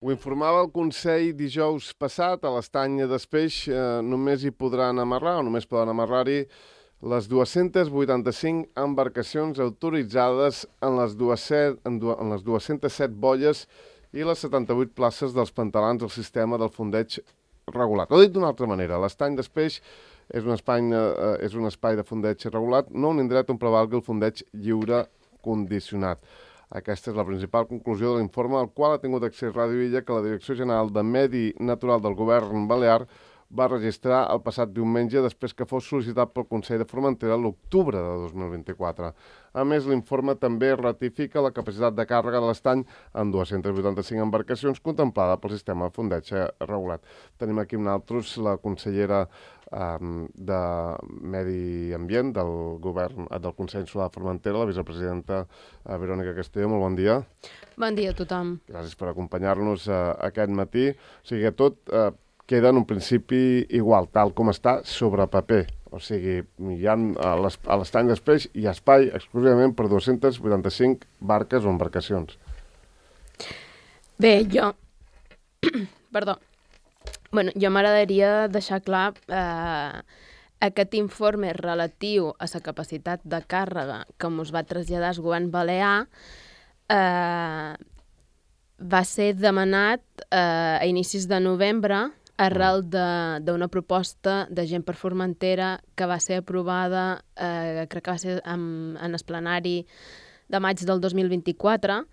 Ho informava el Consell dijous passat, a l'estany d'Espeix només hi podran amarrar, o només poden amarrar-hi, les 285 embarcacions autoritzades en les 207 boies i les 78 places dels pantalans del sistema del fondeig regulat. O dit d'una altra manera, l'estany d'Espeix és un espai de fondeig regulat, no un indret on prevalgui el fondeig lliure condicionat. Aquesta és la principal conclusió de l'informe al qual ha tingut accés Ràdio Illa, que la Direcció General de Medi Natural del Govern Balear va registrar el passat diumenge després que fos sol·licitat pel Consell de Formentera l'octubre de 2024. A més, l'informe també ratifica la capacitat de càrrega de l'estany en 285 embarcacions contemplada pel sistema de fondeig regulat. Tenim aquí amb nosaltres la consellera de Medi Ambient del Govern del Consell Insular de Formentera, la vicepresidenta Verònica Castelló. Molt bon dia. Bon dia a tothom. Gràcies per acompanyar-nos aquest matí. O sigui que tot queda en un principi igual, tal com està sobre paper. O sigui, a l'estany d'Espeix hi ha espai exclusivament per 285 barques o embarcacions. Bé, jo m'agradaria deixar clar aquest informe relatiu a la capacitat de càrrega que ens va traslladar el govern balear va ser demanat a inicis de novembre arrel d'una proposta de Gent per Formentera que va ser aprovada, crec que va ser en el plenari de maig del 2024,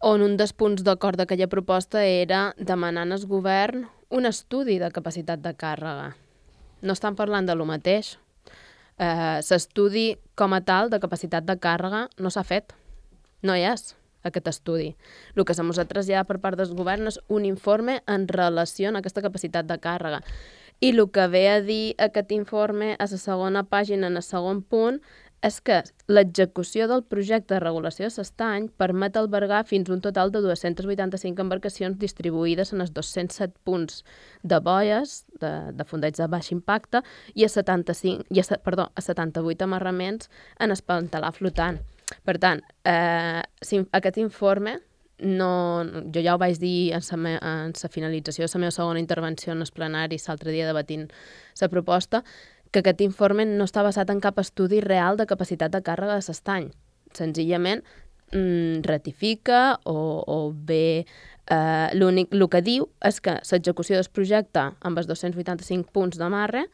on un dels punts d'acord d'aquella proposta era demanar al govern un estudi de capacitat de càrrega. No estan parlant de lo mateix. L'estudi com a tal de capacitat de càrrega no s'ha fet. No hi és aquest estudi. El que se'ns ha traslladat per part del govern és un informe en relació a aquesta capacitat de càrrega. I el que ve a dir aquest informe a la segona pàgina, en el segon punt, és que l'execució del projecte de regulació de l'estany permet albergar fins un total de 285 embarcacions distribuïdes en els 207 punts de boies, de fondeig de baix impacte, i a 78 amarraments en el pantalà flotant. Per tant, aquest informe, jo ja ho vaig dir en la finalització de la meva segona intervenció en el plenari l'altre dia debatint la proposta, que aquest informe no està basat en cap estudi real de capacitat de càrrega de l'estany. Senzillament ratifica o bé el que diu és que l'execució del projecte amb els 285 punts d'amarre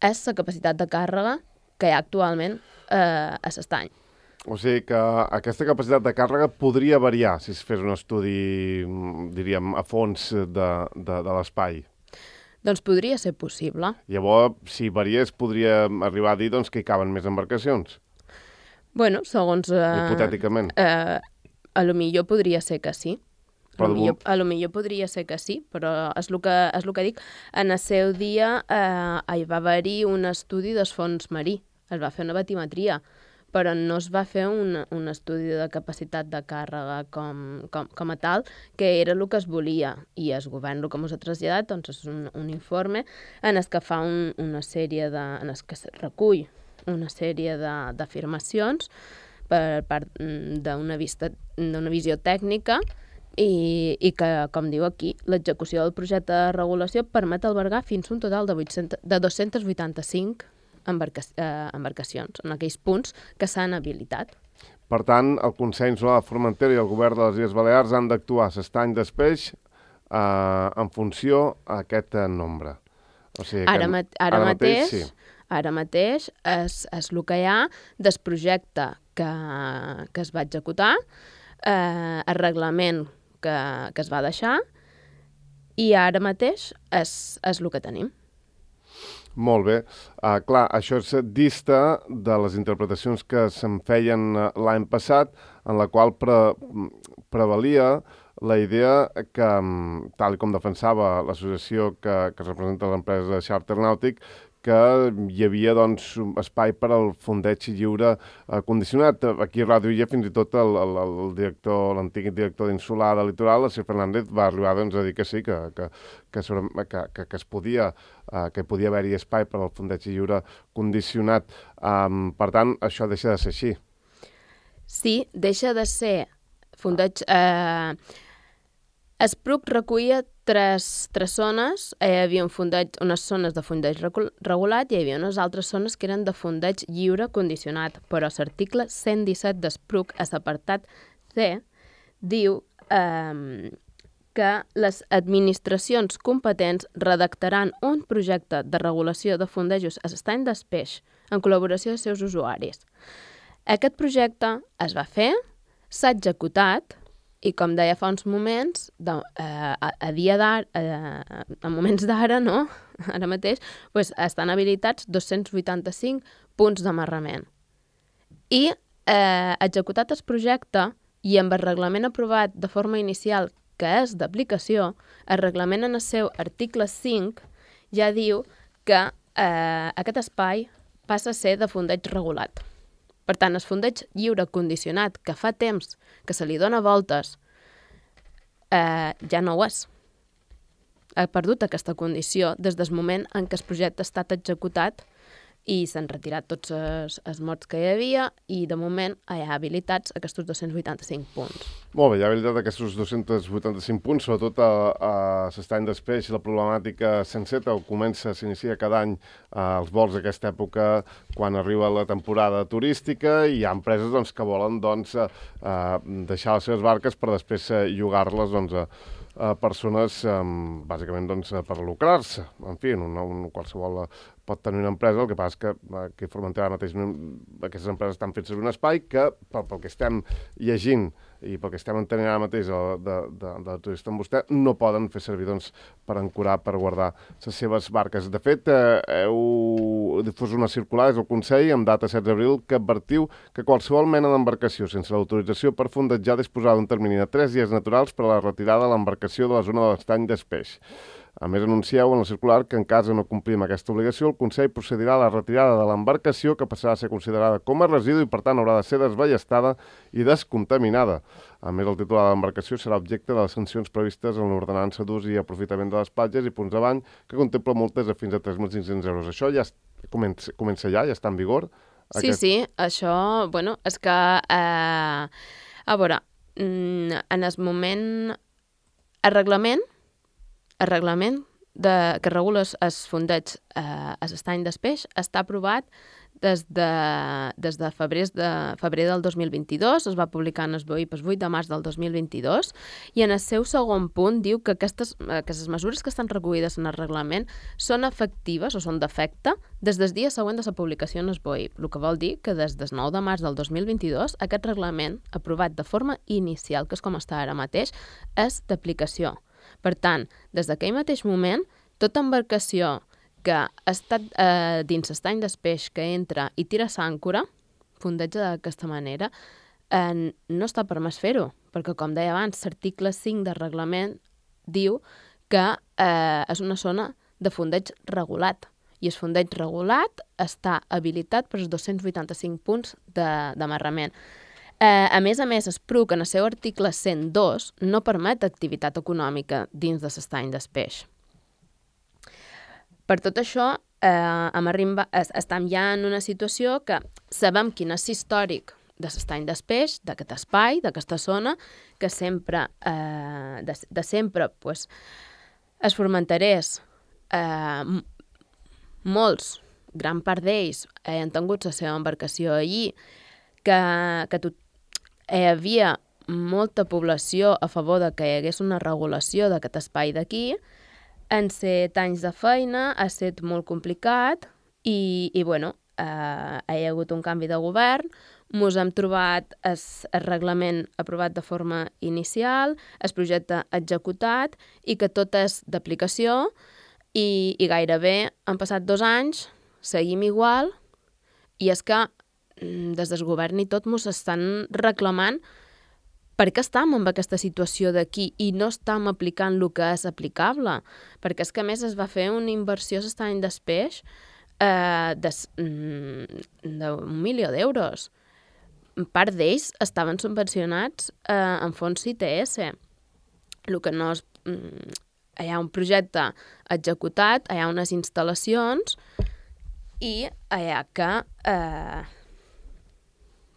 és la capacitat de càrrega que hi ha actualment a l'estany. O sigui que aquesta capacitat de càrrega podria variar si es fes un estudi, diríem, a fons de l'espai. Doncs podria ser possible. Llavors, si variés, podria arribar a dir que hi caben més embarcacions? Bueno, segons... Hipotèticament. A lo millor podria ser que sí. A lo millor podria ser que sí, però és el que dic. En el seu dia hi va haver-hi un estudi del fons marí. Es va fer una batimetria, però no es va fer un estudi de capacitat de càrrega com a tal, que era el que es volia. I el govern el que ens ha traslladat és un informe en el que fa una sèrie en el que es recull una sèrie d'afirmacions per part d'una visió tècnica i que, com diu aquí, l'execució del projecte de regulació permet albergar fins un total de 285 embarcacions en aquells punts que s'han habilitat. Per tant, el Consell Insular de Formentera i el Govern de les Illes Balears han d'actuar a l'estany d'Espeix en funció a aquest nombre. O sigui, ara mateix és el que hi ha del projecte que es va executar, el reglament que es va deixar, i ara mateix és el que tenim. Molt bé. Clar, això és dista de les interpretacions que se'n feien l'any passat, en la qual prevalia la idea que, tal com defensava l'associació que representa l'empresa de xàrter nàutic, que hi havia espai per al fondeig lliure condicionat. Aquí a Ràdio Illa fins i tot l'antic director d'Insular del Litoral, el Sir Fernández, va arribar a dir que sí, que es podia, que podia haver-hi espai per al fondeig lliure condicionat. Per tant, això deixa de ser així. Sí, deixa de ser fondeig... Espruc recollia tres zones. Hi havia unes zones de fondeig regulat i hi havia unes altres zones que eren de fondeig lliure condicionat, però l'article 117 d'Espruc, a l'apartat C, diu que les administracions competents redactaran un projecte de regulació de fondejos a l'estany d'espeix en col·laboració amb els seus usuaris. Aquest projecte es va fer, s'ha executat i, com deia fa uns moments, a moments d'ara, no? Ara mateix, estan habilitats 285 punts d'amarrament. I executat el projecte i amb el reglament aprovat de forma inicial que és d'aplicació, el reglament en el seu article 5 ja diu que aquest espai passa a ser de fondeig regulat. Per tant, el fondeig lliure condicionat, que fa temps que se li dona voltes, ja no ho és. Ha perdut aquesta condició des del moment en què el projecte ha estat executat i s'han retirat tots els mots que hi havia i, de moment, hi ha habilitats aquests 285 punts. Molt bé, hi ha habilitat aquests 285 punts, sobretot a l'estany d'espeix, la problemàtica senceta s'inicia cada any als vols d'aquesta època quan arriba la temporada turística i hi ha empreses que volen deixar les seves barques per després llogar-les a persones, bàsicament per lucrar-se. En fi, qualsevol pot tenir una empresa, el que passa és que aquí a Formentera mateix aquestes empreses estan fent servir un espai que, pel que estem llegint i pel que estem entenent ara mateix de turista amb vostè, no poden fer servir per ancorar, per guardar les seves barques. De fet, heu difós una circular des del Consell amb data 16 d'abril que advertiu que qualsevol mena d'embarcació sense l'autorització per fondejar disposarà d'un termini de 3 dies naturals per a la retirada de l'embarcació de la zona de l'estany d'espeix. A més, anuncieu en la circular que en cas de no complir amb aquesta obligació, el Consell procedirà a la retirada de l'embarcació, que passarà a ser considerada com a residu i, per tant, haurà de ser desballestada i descontaminada. A més, el titular de l'embarcació serà objecte de les sancions previstes en l'ordenança d'ús i aprofitament de les platges i punts de bany, que contempla multes de fins a 3.500 euros. Això ja comença ja està en vigor? Sí, això, és que, a veure, en el moment, el reglament que regula els fondeigs a l'estany d'espeix està aprovat des de febrer del 2022, es va publicar en el BOIP el 8 de març del 2022, i en el seu segon punt diu que les mesures que estan recollides en el reglament són efectives o són d'efecte des del dia següent de la publicació en el BOIP, el que vol dir que des del 9 de març del 2022 aquest reglament, aprovat de forma inicial, que és com està ara mateix, és d'aplicació. Per tant, des d'aquell mateix moment, tota embarcació que ha estat dins l'estany d'espeix que entra i tira l'àncora, fondeja d'aquesta manera, no està permès fer-ho, perquè, com deia abans, l'article 5 del reglament diu que és una zona de fondeig regulat, i el fondeig regulat està habilitat per als 285 punts d'amarrament. A més, Espruc, en el seu article 102, no permet activitat econòmica dins de l'estany d'espeix. Per tot això, estem ja en una situació que sabem quin és l'històric de l'estany d'espeix, d'aquest espai, d'aquesta zona, que sempre, els formenterers, molts, gran part d'ells, han tingut la seva embarcació allí, que hi havia molta població a favor de que hi hagués una regulació d'aquest espai d'aquí. En 7 anys de feina ha estat molt complicat i hi ha hagut un canvi de govern, ens hem trobat el reglament aprovat de forma inicial, el projecte executat i que tot és d'aplicació i gairebé han passat 2 anys, seguim igual i és que des del govern i tot ens estan reclamant per què estem en aquesta situació d'aquí i no estem aplicant el que és aplicable. Perquè és que, a més, es va fer una inversió a l'estany d'espeix d'1 milió d'euros. Part d'ells estaven subvencionats en fons CTS. El que no és... Hi ha un projecte executat, hi ha unes instal·lacions i hi ha que...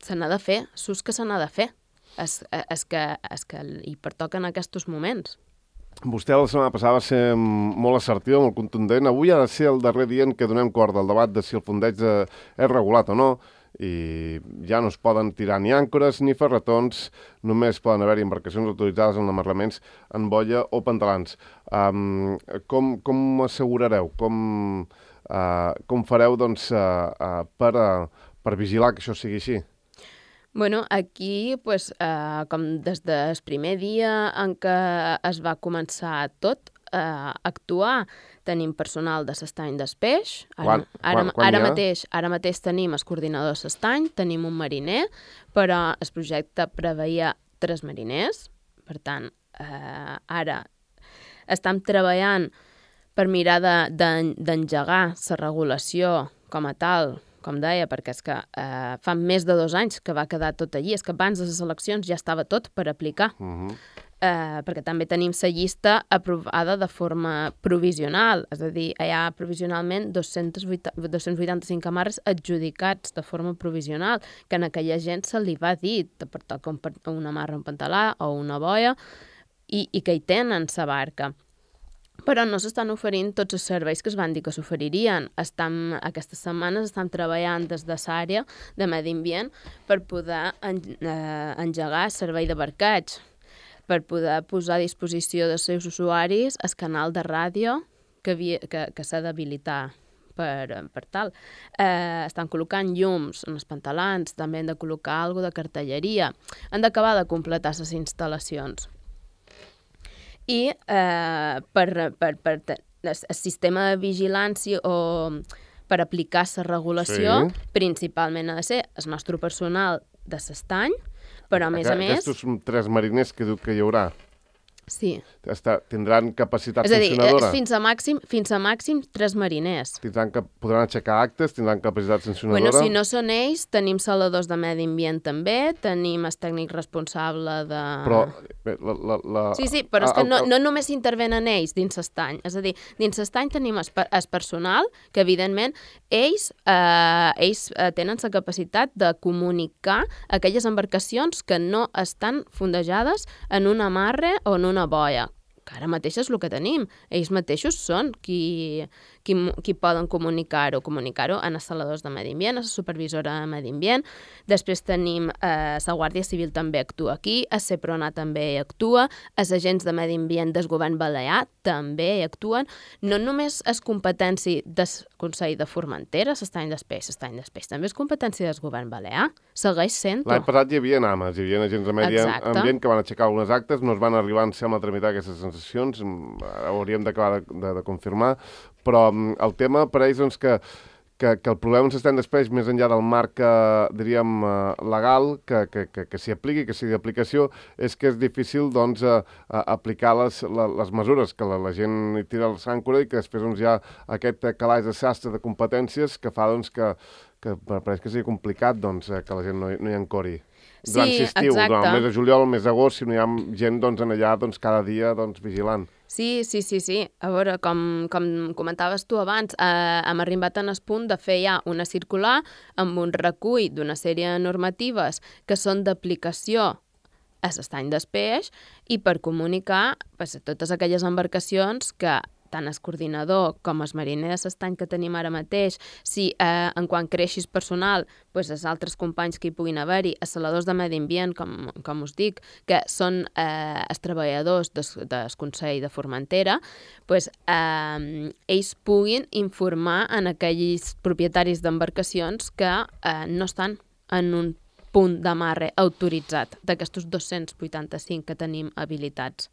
se n'ha de fer, s'ús que se n'ha de fer. És que hi pertoquen aquests moments. Vostè la setmana passada va ser molt assertiva, molt contundent. Avui ha de ser el darrer dia en què donem cort al debat de si el fondeig és regulat o no, i ja no es poden tirar ni àncores ni ferretons, només poden haver-hi embarcacions autoritzades en amarraments en boia o pantalans. Com assegurareu? Com fareu doncs, per vigilar que això sigui així? Bueno, aquí, pues, com des del primer dia en què es va començar tot a actuar, tenim personal de s'estany d'espeix. Ara mateix tenim el coordinador de s'estany, tenim un mariner, però el projecte preveia 3 mariners. Per tant, ara estem treballant per mirar d'engegar la regulació com a tal, com deia, perquè és que fa més de 2 anys que va quedar tot allí. És que abans de les eleccions ja estava tot per aplicar. Perquè també tenim la llista aprovada de forma provisional. És a dir, hi ha provisionalment 285 amarres adjudicats de forma provisional, que a aquella gent se li va dir de portar una amarra, un pantalà o una boia, i que hi tenen la barca. Però no s'estan oferint tots els serveis que es van dir que s'oferirien. Aquestes setmanes estan treballant des de l'àrea de medi ambient per poder engegar el servei de barqueig, per poder posar a disposició dels seus usuaris el canal de ràdio que s'ha d'habilitar per tal. Estan col·locant llums en els pantalans, també han de col·locar alguna de cartelleria. Han d'acabar de completar les instal·lacions. I el sistema de vigilància o per aplicar la regulació, principalment ha de ser el nostre personal de s'estany, però a més a més... Aquests 3 mariners que diu que hi haurà, sí, tindran capacitat sancionadora? És a dir, fins a màxim 3 mariners. Podran aixecar actes, tindran capacitat sancionadora? Bueno, si no són ells, tenim saladors de medi ambient també, tenim el tècnic responsable de... Però... Sí, però és que no només intervenen ells dins l'estany. És a dir, dins l'estany tenim el personal que, evidentment, ells tenen la capacitat de comunicar aquelles embarcacions que no estan fondejades en un amarre o en una boia, que ara mateix és el que tenim. Ells mateixos són qui poden comunicar-ho en els saladors de medi ambient, a la supervisora de medi ambient. Després tenim la Guàrdia Civil també actua aquí, el CEPRONA també actua, els agents de medi ambient del govern balear també actuen. No només és competència del Consell de Formentera, s'estany d'espeix, també és competència del govern balear. Segueix sent-ho. L'any passat hi havia AMAs, hi havia agents de medi ambient que van aixecar algunes actes, no es van arribar a tramitar aquestes sensacions, hauríem d'acabar de confirmar, però el tema per ells doncs, que el problema on s'estén després, més enllà del marc, diríem, legal, que s'hi apliqui, que sigui d'aplicació, és que és difícil doncs, aplicar les mesures, que la gent hi tira el s'àncora i que després doncs, hi ha aquest calaix de sastre de competències que fa doncs, que pareix que sigui complicat doncs, que la gent no hi encori. Durant l'estiu, durant el mes de juliol, el mes d'agost, si no hi ha gent doncs, allà doncs, cada dia doncs, vigilant. Sí. A veure, com comentaves tu abans, hem arribat en el punt de fer ja una circular amb un recull d'una sèrie de normatives que són d'aplicació a l'estany d'espeix i per comunicar a totes aquelles embarcacions que tant el coordinador com els mariners de l'estany que tenim ara mateix, si en quan creixi el personal, els altres companys que hi puguin haver-hi, els saladors de medi ambient, com us dic, que són els treballadors del Consell de Formentera, ells puguin informar en aquells propietaris d'embarcacions que no estan en un punt d'amarre autoritzat d'aquestos 285 que tenim habilitats.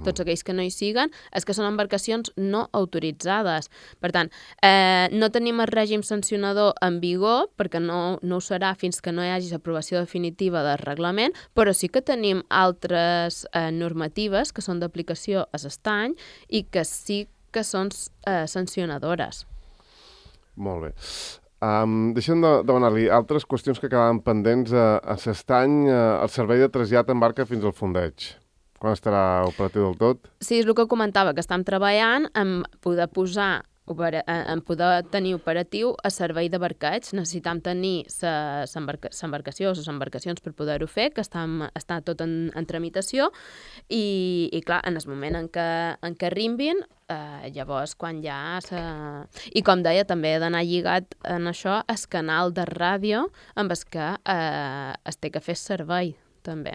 Tots aquells que no hi siguen és que són embarcacions no autoritzades. Per tant, no tenim el règim sancionador en vigor, perquè no ho serà fins que no hi hagi l'aprovació definitiva del reglament, però sí que tenim altres normatives que són d'aplicació a l'estany i que sí que són sancionadores. Molt bé. Deixem de demanar-li altres qüestions que quedaven pendents a l'estany, el servei de trasllat en barca fins al fondeig. Quan estarà operatiu del tot? Sí, és el que comentava, que estem treballant en poder posar en poder tenir operatiu a servei de barqueig. Necessitam tenir l'embarcació o les embarcacions per poder-ho fer, que està tot en tramitació, i clar, en el moment en què arribin, llavors quan ja... I com deia, també he d'anar lligat en això el canal de ràdio amb el que es té que fer servei, també.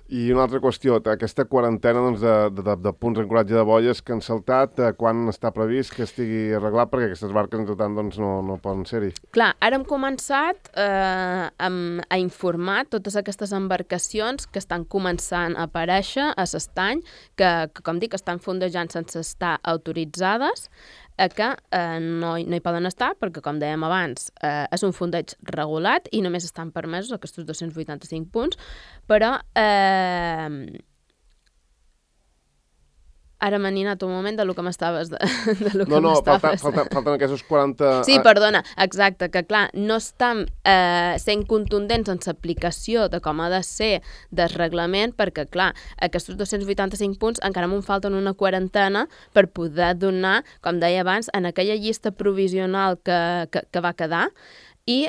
I una altra qüestió, aquesta quarantena de punts d'ancoratge de boies que han saltat, quan està previst que estigui arreglat, perquè aquestes barques, entre tant, no poden ser-hi? Clar, ara hem començat a informar totes aquestes embarcacions que estan començant a aparèixer a l'estany, que com dic, estan fondejant sense estar autoritzades, que no hi poden estar, perquè, com dèiem abans, és un fondeig regulat i només estan permesos aquests 285 punts, però ara m'he anat un moment de lo que m'estaves... Falten aquests 40... Sí, perdona, exacte, que clar, no estan sent contundents en l'aplicació de com ha de ser del reglament, perquè clar, aquests 285 punts encara m'en falten una quarantena per poder donar, com deia abans, en aquella llista provisional que va quedar, i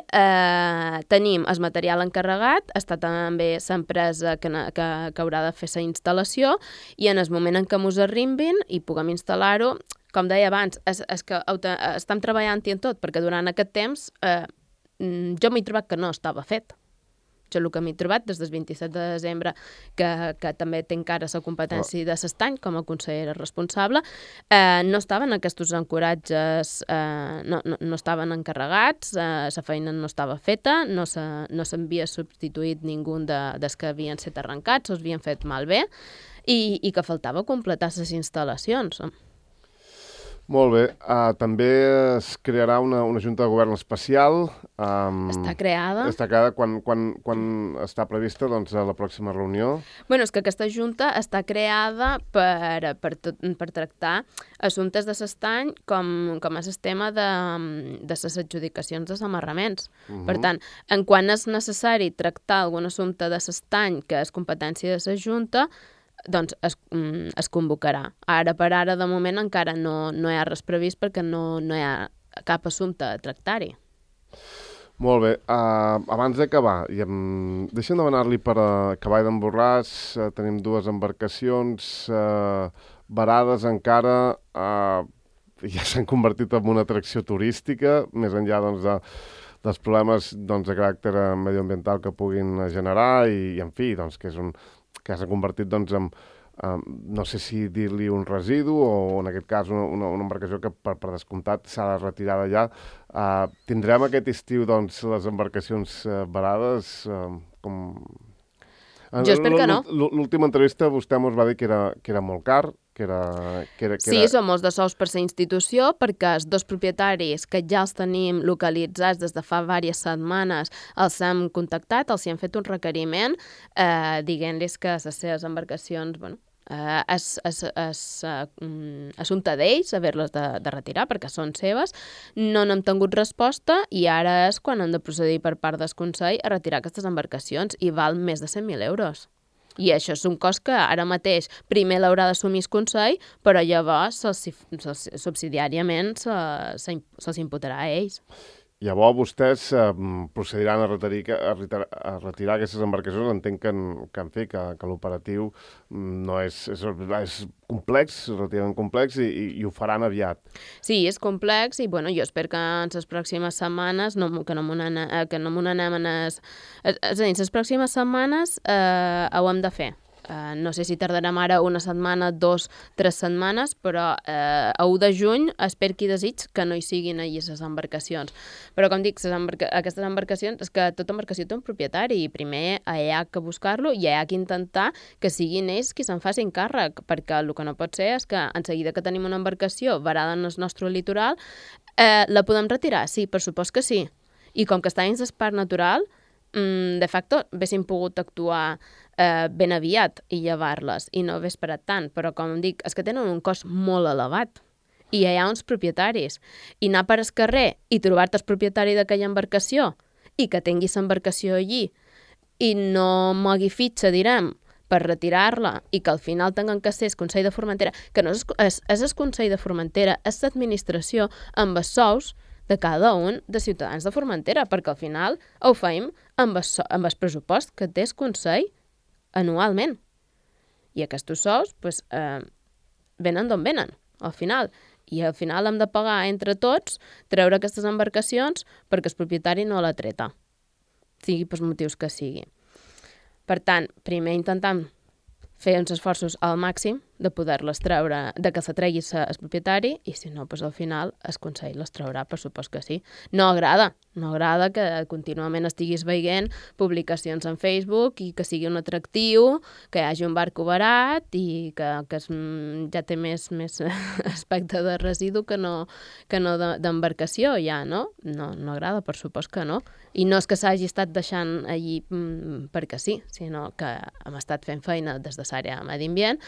tenim el material encarregat, està també l'empresa que haurà de fer la instal·lació, i en el moment en què mos arribin i puguem instal·lar-ho, com deia abans, és que estem treballant-hi en tot, perquè durant aquest temps jo m'he trobat que no estava fet. Jo el que m'he trobat des del 27 de desembre, que també té encara la competència de l'estany com a consellera responsable, no estaven aquests ancoratges, no estaven encarregats, la feina no estava feta, no s'havia substituït ningú dels que havien estat arrencats, o havien fet malbé, i que faltava completar les instal·lacions. Molt bé. També es crearà una Junta de Govern especial. Està creada. Està creada quan està prevista la pròxima reunió? Bueno, és que aquesta Junta està creada per tractar assumptes de l'estany com és el tema de les adjudicacions de amarraments. Per tant, en quan és necessari tractar algun assumpte de l'estany que és competència de la Junta, doncs es convocarà. Ara per ara, de moment, encara no hi ha res previst perquè no hi ha cap assumpte a tractar-hi. Molt bé. Abans d'acabar, deixa'm demanar-li per Cavall d'en Borràs, tenim 2 embarcacions varades encara, ja s'han convertit en una atracció turística, més enllà dels problemes de caràcter medioambiental que puguin generar i en fi, que s'ha convertit en, no sé si dir-li un residu o en aquest cas una embarcació que per descomptat s'ha de retirar d'allà. Tindrem aquest estiu les embarcacions varades? Jo espero que no. L'última entrevista vostè ens va dir que era molt car, Sí, som molts de sous per la institució, perquè els 2 propietaris que ja els tenim localitzats des de fa diverses setmanes els hem contactat, els hi hem fet un requeriment dient-los que les seves embarcacions, és assumpte d'ells haver-les de retirar perquè són seves. No n'hem tingut resposta i ara és quan hem de procedir per part del Consell a retirar aquestes embarcacions i val més de 100.000 euros. I això és un cost que ara mateix primer l'haurà d'assumir el Consell, però llavors subsidiàriament se'ls imputarà a ells. Llavors vostès procediran a retirar aquestes embarcacions. Entenc que l'operatiu no és complex, relativament complex, i ho faran aviat. Sí, és complex i jo espero que en les pròximes setmanes que no m'ho n'anem en és a dir, les pròximes setmanes ho hem de fer. No sé si tardarem ara una setmana, 2, 3 setmanes, però a 1 de juny espero que desig que no hi siguin allà les embarcacions. Però com dic, aquestes embarcacions, és que tota embarcació té un propietari i primer hi ha que buscar-lo i hi ha que intentar que siguin ells qui se'n facin càrrec, perquè el que no pot ser és que en seguida que tenim una embarcació varada en el nostre litoral, la podem retirar? Sí, per supost que sí. I com que està dins del parc natural, de facto, haguéssim pogut actuar ben aviat i llevar-les i no haver esperat tant, però com dic, és que tenen un cost molt elevat i hi ha uns propietaris i anar per el carrer i trobar-te el propietari d'aquella embarcació i que tinguis l'embarcació allí i no mogui fitxa, direm, per retirar-la i que al final tinguin que ser el Consell de Formentera, que no és el Consell de Formentera, és l'administració amb els sous de cada un de ciutadans de Formentera, perquè al final ho fem amb el pressupost que té el Consell anualment. I aquests sous venen d'on venen, al final. I al final hem de pagar entre tots, treure aquestes embarcacions perquè el propietari no la treta, sigui pels motius que sigui. Per tant, primer intentam fer uns esforços al màxim de poder-les treure, de que se tregui el propietari, i si no, al final el Consell les traurà, per supost que sí. No agrada que contínuament estiguis veient publicacions en Facebook i que sigui un atractiu, que hi hagi un barco barat i que ja té més aspecte de residu que no d'embarcació ja, no? No agrada, per supost que no. I no és que s'hagi estat deixant allí perquè sí, sinó que hem estat fent feina des de l'àrea de medi ambient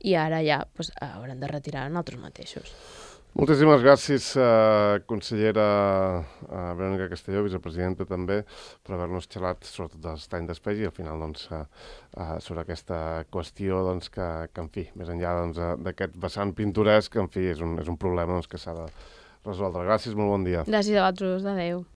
i ara ja haurem de retirar nosaltres mateixos. Moltíssimes gràcies, consellera Verònica Castelló, vicepresidenta també, per haver-nos xerrat sobretot de l'estany d'espais i al final sobre aquesta qüestió que en fi, més enllà d'aquest vessant pintoresc, en fi, és un problema que s'ha de resoldre. Gràcies, molt bon dia. Gràcies a vosaltres, adeu.